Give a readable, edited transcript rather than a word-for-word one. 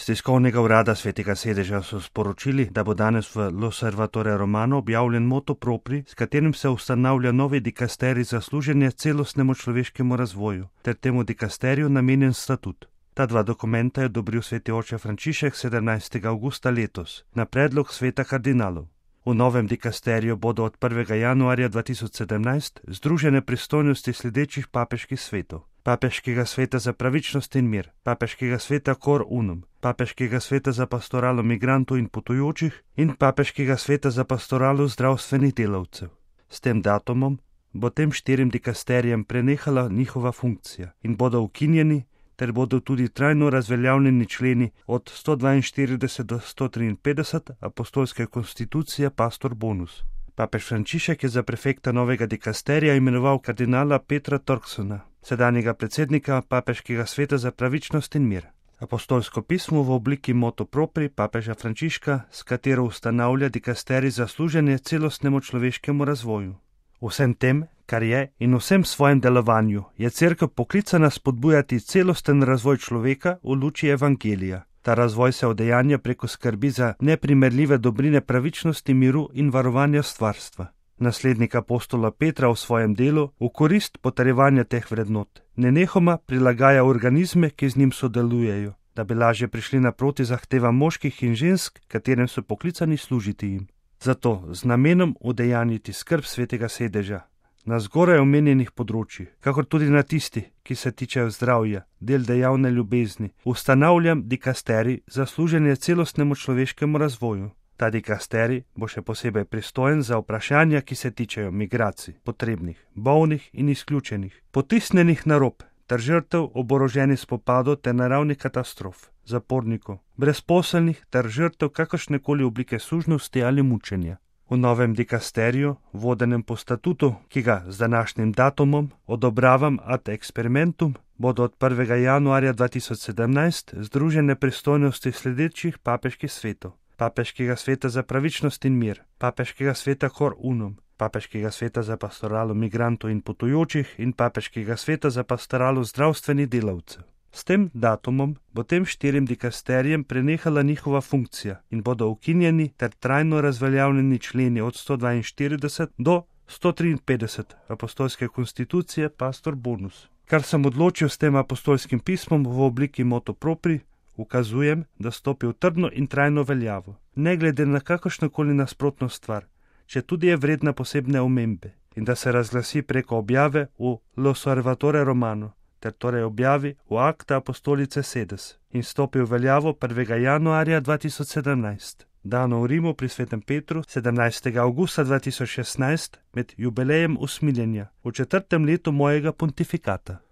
Z tiskovnega urada Svetega sedeža so sporočili, da bo danes v L'Osservatore Romano objavljen motu propri, s katerim se ustanavlja novi dikasterij za služenje celostnemu človeškemu razvoju, ter temu dikasteriju namenjen statut. Ta dva dokumenta je odobril sveti oče Frančišek 17. avgusta letos na predlog sveta kardinalov. V novem dikasteriju bodo od 1. januarja 2017 združene pristojnosti sledečih papeških svetov: Papeškega sveta za pravičnost in mir, Papeškega sveta Cor Unum, Papeškega sveta za pastoralo migrantov in potujočih in Papeškega sveta za pastoralo zdravstvenih delavcev. S tem datumom bo tem 4 dikasterijem prenehala njihova funkcija in bodo ukinjeni, ter bodo tudi trajno razveljavljeni členi od 142 do 153 apostolske konstitucije Pastor Bonus. Papež Frančišek je za prefekta novega dikasterija imenoval kardinala Petra Torksona, sedanjega predsednika Papeškega sveta za pravičnost in mir. Apostolsko pismo v obliki motu propri papeža Frančiška, s katero ustanavlja dikasterij za služenje celostnemu človeškemu razvoju. Vsem tem, kar je, in vsem svojem delovanju je Cerkev poklicana spodbujati celosten razvoj človeka v luči evangelija. Ta razvoj se udejanja preko skrbi za neprimerljive dobrine pravičnosti, miru in varovanja stvarstva. Naslednik apostola Petra v svojem delu v korist potrjevanja teh vrednot nenehoma prilagaja organizme, ki z njim sodelujejo, da bi lažje prišli naproti zahtevam moških in žensk, katerim so poklicani služiti jim. Zato z namenom udejanjiti skrb svetega sedeža na zgoraj omenjenih področjih, kakor tudi na tisti, ki se tičejo zdravja, del dejavne ljubezni, ustanavljam dikasterij za služenje celostnemu človeškemu razvoju. Ta dikasterij bo še posebej pristojen za vprašanja, ki se tičejo migracij, potrebnih, bolnih in izključenih, potisnjenih na rob ter žrtev oboroženih spopadov ter naravnih katastrof, zapornikov, brezposelnih ter žrtev kakršnekoli oblike sužnosti ali mučenja. V novem dikasteriju, vodenem po statutu, ki ga z današnjim datumom odobravam ad experimentum, bodo od 1. januarja 2017 združene pristojnosti sledečih papeških svetov: Papeškega sveta za pravičnost in mir, Papeškega sveta Cor Unum, Papeškega sveta za pastoralo migrantov in potujočih in Papeškega sveta za pastoralo zdravstvenih delavcev. S tem datumom bo tem 4 dikasterijem prenehala njihova funkcija in bodo ukinjeni ter trajno razveljavljeni členi od 142 do 153 apostolske konstitucije Pastor Bonus. Kar sem odločil s tem apostolskim pismom v obliki motu propri, ukazujem, da stopi v trdno in trajno veljavo, ne glede na kakršnokoli nasprotno stvar, če tudi je vredna posebne omembe, in da se razglasi preko objave v L'Osservatore Romano, ter torej objavi v Acta Apostolicae Sedes in stopi v veljavo 1. januarja 2017, dano v Rimu pri svetem Petru 17. avgusta 2016 med jubilejem usmiljenja v 4. letu mojega pontifikata.